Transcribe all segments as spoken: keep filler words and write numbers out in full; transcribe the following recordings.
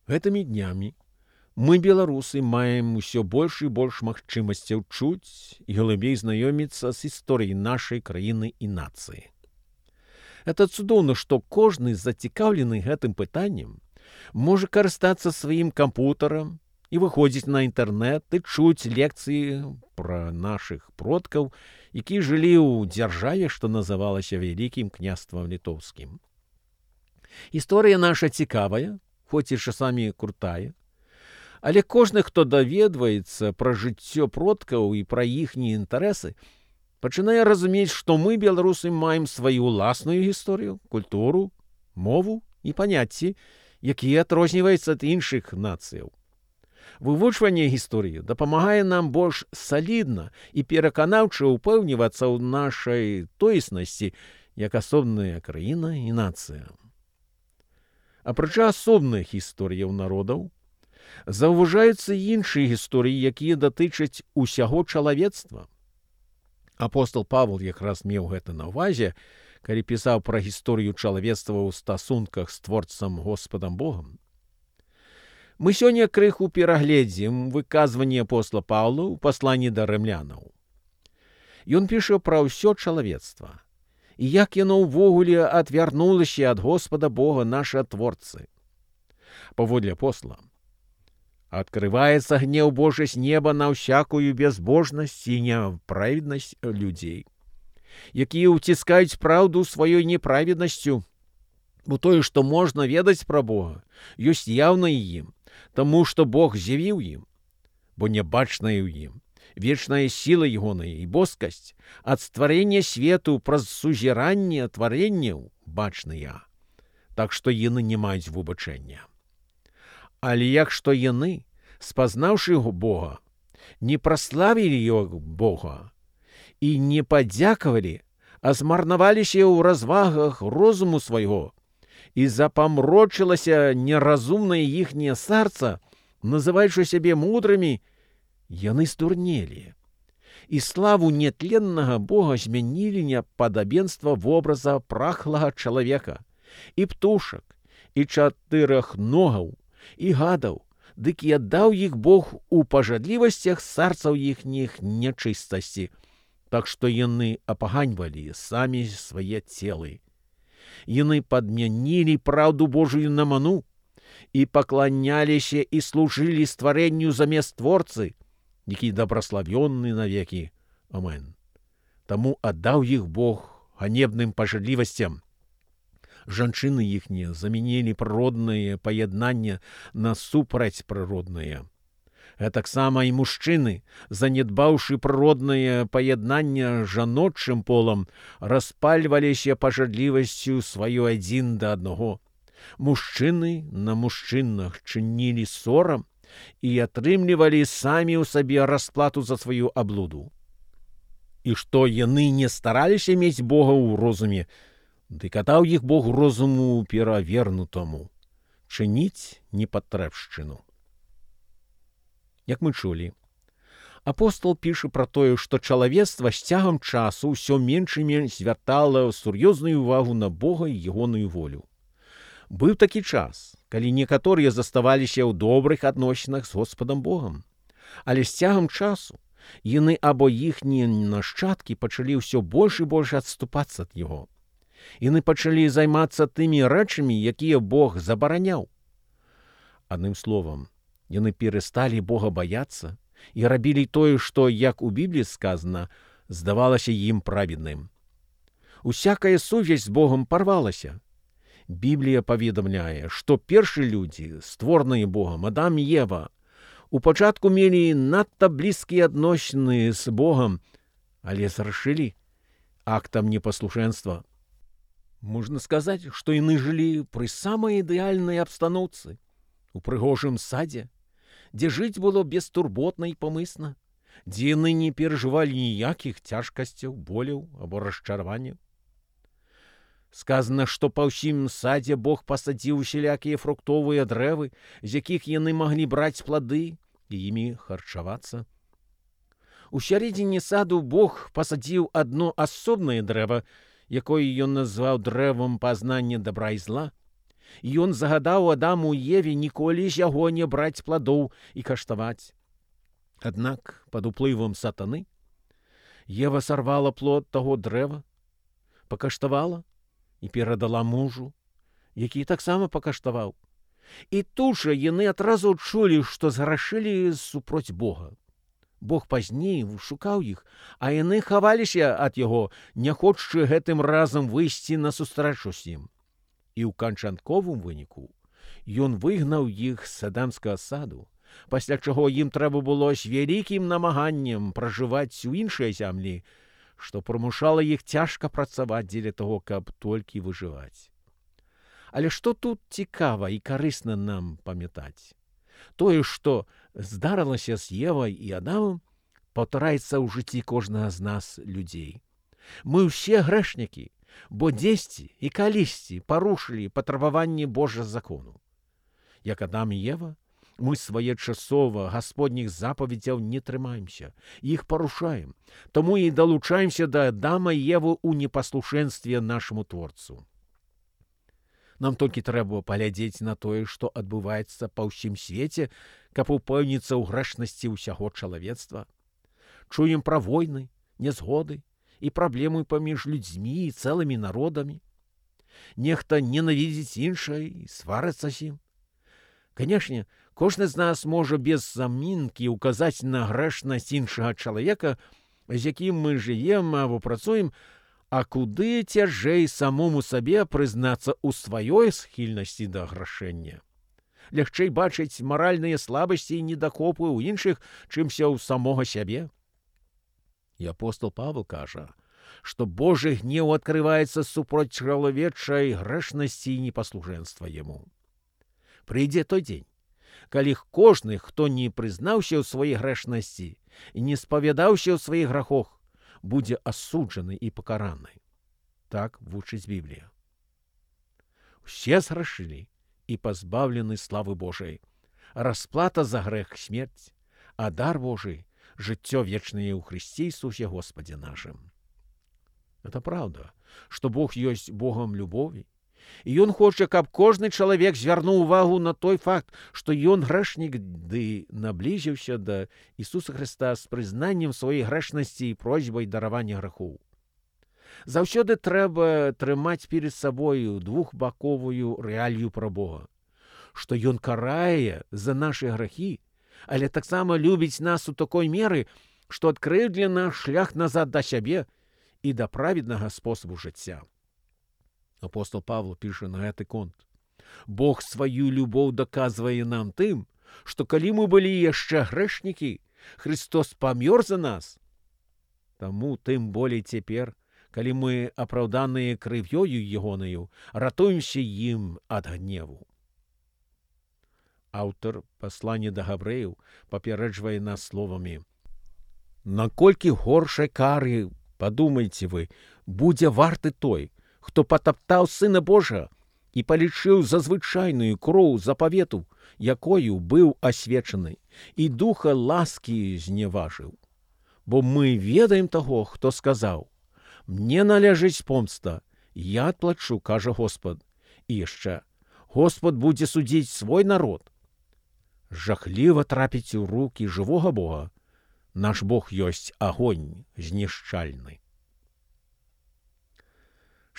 Гэтымі днямі мы, беларусы, маем усё больш і больш магчымасцяў чуць і глыбей знаёміцца з гісторыяй нашай краіны і нацыі. Это цудоўна, што кожны зацікаўлены гэтым пытаннем можа карыстацца сваім кампутарам і выходзіць на інтэрнэт і чуць лекцыі пра нашых продкаў, якія жылі ў дзяржаве, што называлася Вялікім княствам літоўскім. Гісторыя наша цікавая, хоць і часамі крутая, але кожны, хто даведваецца пра жыццё продкаў і пра іхнія інтарэсы, пачынае разумець, што мы, беларусы, маем сваю ўласную гісторыю, культуру, мову і паняцці, якія адрозніваюцца ад іншых нацыяў. Вывучванне гісторыі дапамагае нам больш салідна і пераканаўча ўпэўнівацца ў нашай тоеснасці як асобная краіна і нацыя. Апрача асобных гісторыяў народаў, заўважаюцца іншыя гісторыі, якія датычаць усяго чалавецтва. Апостол Павел якраз меў гэта на ўвазе, калі пісаў пра гісторыю чалавецтва ў стасунках з творцам Господам Богам. Мы сёння крыху перагледзім выказванне апостола Паўла ў пасланні да рымлянаў. Ён піша пра ўсё чалавецтва і як яно ўвогуле адвярнулася ад Господа Бога наша творцы. Паводле апостола, «Открывается гнев Божий с неба на всякую безбожность и неправедность людей, якія ўціскаюць праўду сваёй неправеднасцю, бо тое, што можна ведаць пра Бога, ёсць яўна і ім, таму што Бог з'явіў ім, бо нябачная ў ім, вечная сіла ягоная і боскасць ад стварэння свету праз сузіранне тварэнняў бачныя, так што яны не маюць выбачэння. Але як што яны, спазнаўшы Бога, не праславілі яго Бога і не падзякавалі, а змарнаваліся ў развагах розуму свайго, і запамрочылася неразумнае іхняе сэрца, называючы сябе мудрымі, яны стурнелі. І славу нетленнага Бога змянілі на падабенства вобраза прахлага чалавека, і птушак, і чатырохногаў, і гадаў, дык і аддаў іх Бог у пажадлівасцях сэрцаў іхніх нячыстасці, так што яны апаганьвалі самі свае целы. Яны падмянілі праўду Божую на ману і пакланяліся і служылі стварэнню замест творцы, які дабраславённы навекі. Амен. Таму аддаў іх Бог ганебным пажадлівасцям. Жанчыны іхнія замянілі прыроднае паяднанне на супрацьпрыроднае. Гэтаксама і мужчыны, занядбаўшы прыроднае паяднанне жаночым полам, распальваліся пажадлівасцю сваю адзін да аднаго. Мужчыны на мужчынах чынілі сорам і атрымлівалі самі ў сабе расплату за сваю аблуду. І што яны не стараліся мець Бога ў розуме, дык аддаў іх Бог розуму перавернутаму, чыніць непатрэбшчыну. Як мы чулі, апостол піша пра тое, што чалавецтва з цягам часу ўсё менш і менш звяртала сур'ёзную ўвагу на Бога і ягоную волю. Быў такі час, калі некаторыя заставаліся ў добрых адносінах з Господам Богам, але з цягам часу яны або іхнія нашчадкі пачалі ўсё больш і больш адступацца ад яго. Яны пачалі займацца тымі рэчамі, якія Бог забараняў. Адным словам, яны перасталі Бога баяцца і рабілі тое, што, як у Бібліі сказана, здавалася ім праведным. Усякая сувязь з Богом парвалася. Біблія паведамляе, што першыя людзі, створаныя Богам, Адам і Ева, у пачатку мелі надта блізкія адносіны з Богам, але зрашылі актам непаслушэнства. Можна сказаць, што яны жылі пры самай ідэальнай абстаноўцы, у прыгожым садзе, дзе жыць было бестурботна і памысна, дзе яны не перажывалі ніякіх цяжкасцяў, боляў або расчараванняў. Сказана, што па ўсім садзе Бог пасадзіў усялякія фруктовыя дрэвы, з якіх яны маглі браць плады і імі харчавацца. У сярэдзіне саду Бог пасадзіў адно асобнае дрэва, якое ён назваў дрэвам пазнання дабра і зла, І ён загадаў Адаму і Еве ніколі з яго не браць пладоў і каштаваць. Аднак пад уплывам сатаны Ева сарвала плод таго дрэва, пакаштавала і перадала мужу, які таксама пакаштаваў. І тут жа яны адразу адчулі, што зграшылі супроць Бога. Бог пазней шукаў іх, а яны хаваліся ад яго, не хочучы гэтым разам выйсці на сустрэчу з ім. І ў канчатковым выніку ён выгнаў іх з эдэмскага саду, пасля чаго ім трэба было з вялікім намаганнем пражываць у іншай зямлі, што прымушала іх цяжка працаваць дзеля таго, каб толькі выжываць. Але што тут цікава і карысна нам памятаць? Тое, што здарылася з Евай і Адамам, паўтараецца ў жыцці кожнага з нас людзей. Мы ўсе грэшнікі, бо дзесьці і калісьці парушылі патрабаванні Божага закону. Як Адам і Ева, мы своечасова гасподніх запаведзяў не трымаемся, іх парушаем, таму і далучаемся да Адама і Евы ў непаслушэнстве нашаму Творцу. Нам толькі трэба паглядзець на тое, што адбываецца па ўсім свеце, каб упэўніцца ў грэшнасці ўсяго чалавецтва. Чуем пра войны, нязгоды і праблемы паміж людзьмі і цэлымі народамі. Нехта ненавідзіць іншае і сварыцца з ім. Канешне, кожны з нас можа без замінкі ўказаць на грэшнасць іншага чалавека, з якім мы жывем або працуем, а куды цяжэй самому сабе прызнацца ў сваёй схільнасці да грашэння. Лягчэй бачыць маральныя слабасці і недахопы ў іншых, чымся ў самога сябе. І апостол Павел кажа, што Божы гнеў адкрываецца супроць чалавечай грэшнасці і непаслужэнства яму. Прыйдзе той дзень, калі кожны, хто не прызнаўся ў сваёй грэшнасці і не спавядаўся ў сваіх грахах, будзе асуджаны і пакараны. Так вучыць Біблія. Усе зграшылі і пазбаўлены славы Божай. Расплата за грэх — смерць, а дар Божий — жыццё вечнае ў Хрысце Ісусе Господе нашым. Это правда, што Бог ёсць Богом любові, і Ён хоча, каб кожны чалавек звярнуў увагу на той факт, што ён грэшнік, ды наблізіўся да Ісуса Хрыста з прызнаннем сваёй грэшнасці і просьбай даравання грахоў. Заўсёды трэба трымаць перед сабою двухбаковую рэалію пра Бога, што Ён карае за нашы грахі, але таксама любіць нас у такой меры, што адкрыў для нас шлях назад да сябе і да праведнага спосабу жыцця. Апостол Павел піша на гэты конт. Бог сваю любоў даказвае нам тым, што калі мы былі яшчэ грэшнікі, Христос памёр за нас. Таму тым болей цяпер, калі мы апраўданыя крывёю ягонаю, ратуемся ім ад гневу. Аўтар паслання да габрэяў папярэджвае нас словамі: наколькі горшай кары, падумайце вы, будзе варты той, хто патаптаў Сына Божага і палічыў за звычайную кроў запавету, якою быў асвечаны, і духа ласкі зневажыў. Бо мы ведаем таго, хто сказаў: мне належыць помста, я адплачу, кажа Господ. І яшчэ: Господ будзе судзіць свой народ. Жахліва трапіць у рукі жывога Бога. Наш Бог ёсць агонь знішчальны.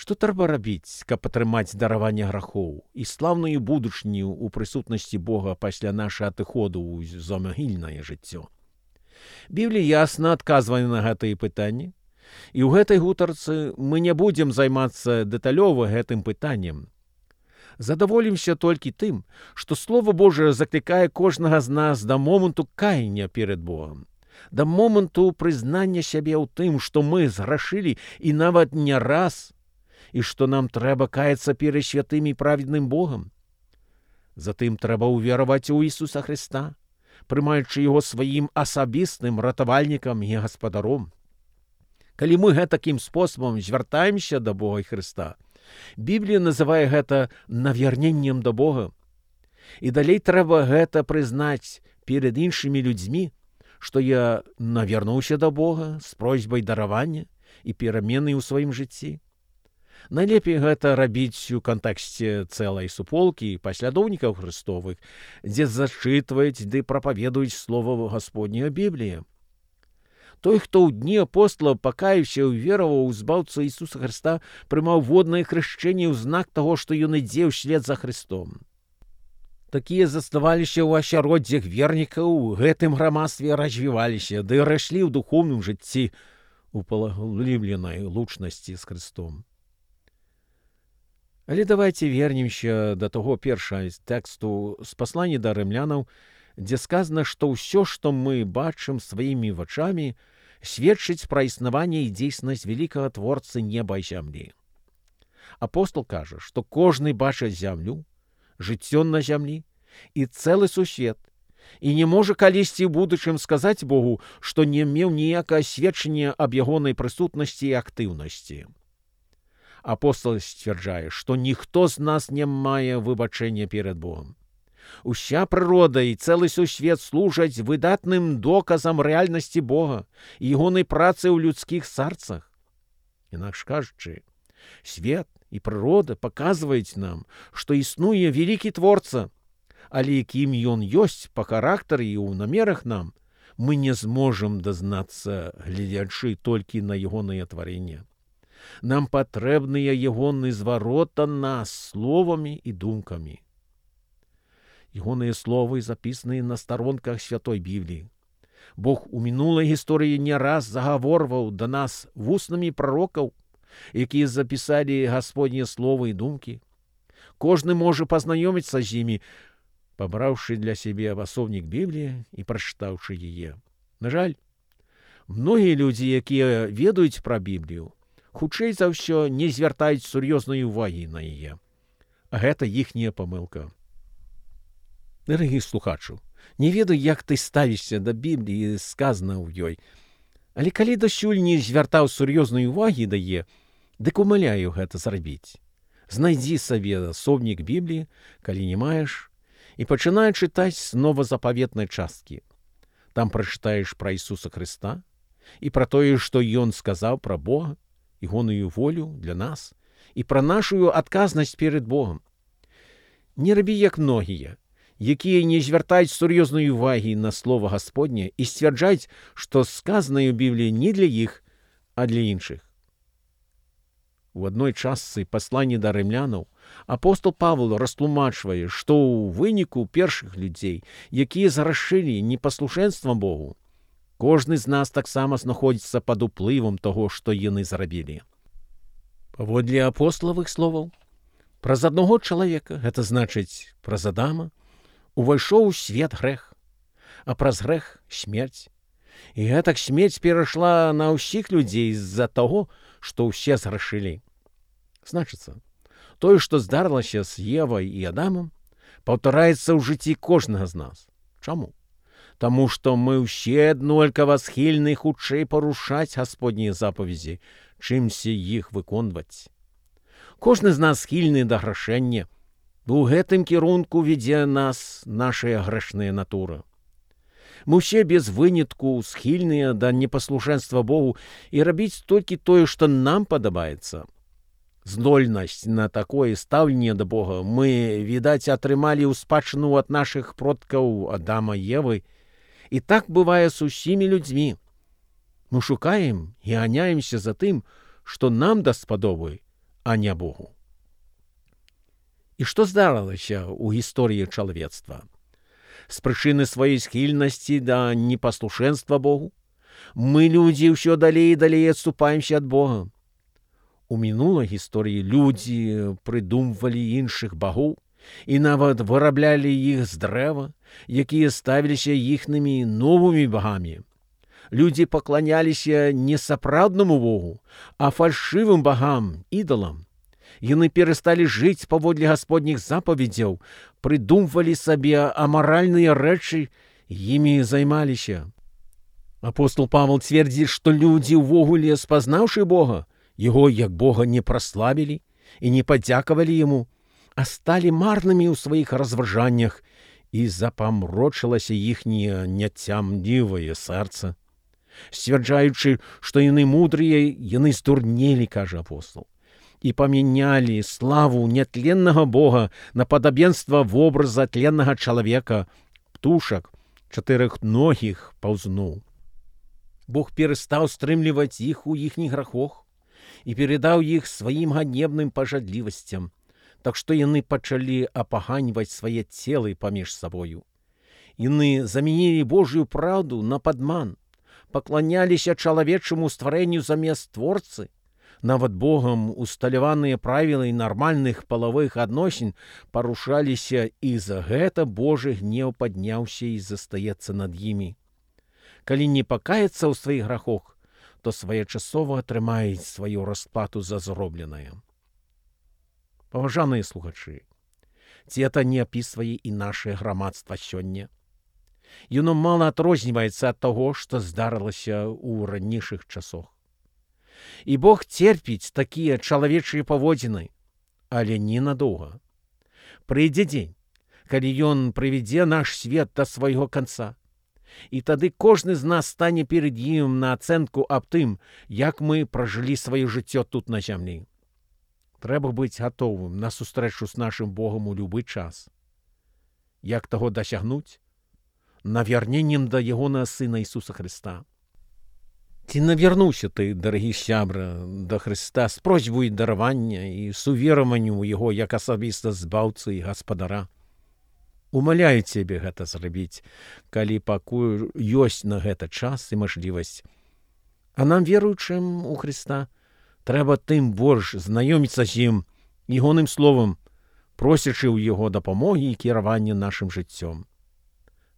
Што трэба рабіць, каб атрымаць дараванне грахоў і слаўную будучню ў прысутнасці Бога пасля нашага адыходу ў замагільнае жыццё? Біблія ясна адказвае на гэтыя пытанні, і ў гэтай гутарцы мы не будзем займацца дэталёва гэтым пытаннем. Задаволімся толькі тым, што Слова Божае заклікае кожнага з нас да моманту каяння перад Богам, да моманту прызнання сябе ў тым, што мы зграшылі і нават не раз, і што нам трэба каяцца перад святым і праведным Богам. Затым трэба ўвераваць у Ісуса Хрыста, прымаючы Яго сваім асабістым ратавальнікам і гаспадаром. Калі мы гэтакім спосабам звяртаемся да Бога і Хрыста, Біблія называе гэта навярненнем да Бога. І далей трэба гэта прызнаць перад іншымі людзьмі, што я навярнуўся да Бога з просьбай даравання і перамены ў сваім жыцці. Найлепей гэта рабіць у кантэксце цэлай суполкі паслядоўнікаў Христовых, дзе зачытваюць ды прапаведуюць слова Гасподняя Біблія. Той, хто ў дні апосталаў пакаяўся і вераваў у збаўцу Ісуса Христа, прымаў воднае хрышчэнне ў знак таго, што ён ідзе ўслед за Христом. Такія заставаліся ў асяроддзях вернікаў, у гэтым грамадстве развіваліся, ды раслі ў духоўным жыцці у паглыбленай лучнасці з Христом. Але давайте вернемся да таго першага тэксту з паслання да рымлянаў, дзе сказана, што ўсё, што мы бачым сваімі вачамі, сведчыць пра існаванне і дзейснасць вялікага творцы неба і зямлі. Апостол кажа, што кожны бачыць зямлю, жыццё на зямлі і цэлы сусвет, і не можа калісьці ў будучым сказаць Богу, што не меў ніякае сведчання аб ягонай прысутнасці і актыўнасці. Апостол сцвярджае, што ніхто з нас не мае выбачэння перад Богом. Уся прырода і цэлы сусвет служаць выдатным доказам рэальнасці Бога і ягонай працы ў людскіх сарцах. Інакш кажучы, свет і прырода паказваюць нам, што існуе вялікі творца, але якім ён ёсць па характары і ў намерах нам, мы не зможам дазнацца, гледзячы толькі на ягонае тварэнне. Нам патрэбныя ягоны зварот на нас словамі і думкамі. Ягоныя словы запісаныя на старонках Святой Бібліі. Бог у мінулай гісторыі не раз загаворваў да нас вуснамі прарокаў, якія запісалі Гасподнія словы і думкі. Кожны можа пазнаёміцца з імі, пабраўшы для сябе асобнік Бібліі і прачытаўшы яе. На жаль, многія людзі, якія ведаюць пра Біблію, хутчэй за ўсё не звяртаюць сур'ёзнай увагі на яе. А гэта іхняя памылка. Дарагі слухачу, не ведаю, як ты ставішся да Бібліі, сказана ў ёй, але калі дасюль не звяртаў сур'ёзнай увагі да яе, дык умаляю гэта зрабіць. Знайдзі сабе асобнік Бібліі, калі не маеш, і пачынай чытаць з новазапаветнай часткі. Там прачытаеш пра Ісуса Хрыста і пра тое, што Ён сказаў пра Бога, ягоную волю для нас і пра нашу адказнасць перад Богом. Не рабі як многія, якія не звяртаюць сур'ёзнай увагі на слова Гасподняе і сцвярджаюць, што сказанае ў Бібліі не для іх, а для іншых. У адной частцы паслання да рымлянаў апостол Павел растлумачвае, што ў выніку першых людзей, якія зграшылі непаслушэнствам Богу, кожны з нас таксама знаходзіцца пад уплывам таго, што яны зрабілі. Паводле апосталавых словаў, праз аднаго чалавека, гэта значыць праз Адама, увайшоў у свет грэх, а праз грэх смерць. І гэтак смерць перайшла на ўсіх людзей з-за таго, што ўсе зграшылі. Значыцца, тое, што здарылася з Евай і Адамам, паўтараецца ў жыцці кожнага з нас. Чаму? Таму што мы ўсе аднолькава схільны хутчэй парушаць Гасподнія запаведзі, чымся іх выконваць. Кожны з нас схільны да грашэння, бо ў гэтым кірунку вядзе нас нашая грэшная натура. Мы ўсе без вынятку схільныя да непаслушэнства Богу і рабіць толькі тое, што нам падабаецца. Здольнасць на такое стаўленне да Бога мы, відаць, атрымалі ў спадчыну ад нашых продкаў Адама і Евы, і так бывае з усімі людзьмі. Мы шукаем і ганяемся за тым, што нам даспадобы, а не Богу. І што здарылася ў гісторыі чалавецтва? З прычыны сваёй схільнасці да непаслушэнства Богу мы, людзі, ўсё далей і далей адступаемся ад Бога. У мінулай гісторыі людзі прыдумвалі іншых багоў і нават выраблялі іх з дрэва, якія ставіліся іхнымі новымі багамі. Людзі пакланяліся не сапраўднаму Богу, а фальшывым багам, ідалам. Яны перасталі жыць паводле Гасподніх запаведзяў, прыдумвалі сабе амаральныя рэчы, імі займаліся. Апостол Павел цвердзіць, што людзі ўвогуле, спазнаўшы Бога, яго як Бога не праславілі і не падзякавалі яму, а сталі марнымі ў сваіх разважаннях, і запамрочылася іхняе няцямлівае сэрца. Сцвярджаючы, што яны мудрыя, яны здурнелі, кажа апостол. и поменяли славу нетленного Бога на подобенство в образа тленного человека, птушек, чотирихногих паўзноў. Бог перестаў стрымліваць іх у іхніх грахах і передаў іх сваім ганебным пажадлівасцям, так што яны пачалі апаганьваць свае целы паміж сабою. Яны замянілі Божью праўду на падман, пакланяліся чалавечаму стварэнню замест Творцы. Нават Богам усталяваныя правілы нармальных палавых адносін парушаліся, і за гэта Божы гнеў падняўся і застаецца над імі. Калі не пакаяцца ў сваіх грахах, то своечасова атрымаюць сваю расплату за зробленае. Паважаныя слухачы, ці это не апісвае і нашае грамадства сёння? Яно мала адрозніваецца ад таго, што здарылася ў ранейшых часах. І Бог церпіць такія чалавечыя паводзіны, але ненадоўга. Прыйдзе дзень, калі Ён прывядзе наш свет да свайго канца. І тады кожны з нас стане перед ім на ацэнку аб тым, як мы пражылі сваё жыццё тут на зямлі. Трэба быць гатовым на сустрэчу з нашым Богам у любы час. Як таго дасягнуць? Навярненнем да ягонага Сына Ісуса Хрыста. Ці навярнуўся ты, дарагі сябра, да Хрыста з просьбай даравання і сувераванню ў Яго як асабіста збаўцы і гаспадара? Умаляю цябе гэта зрабіць, калі пакуль ёсць на гэта час і мажлівасць. А нам, веруючым у Хрыста, трэба тым больш знаёміцца з ім, ягоным словам, просячы ў яго дапамогі і кіравання нашым жыццём.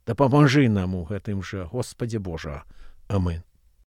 Дапамажы нам у гэтым жа, Господзе Божа. Амин.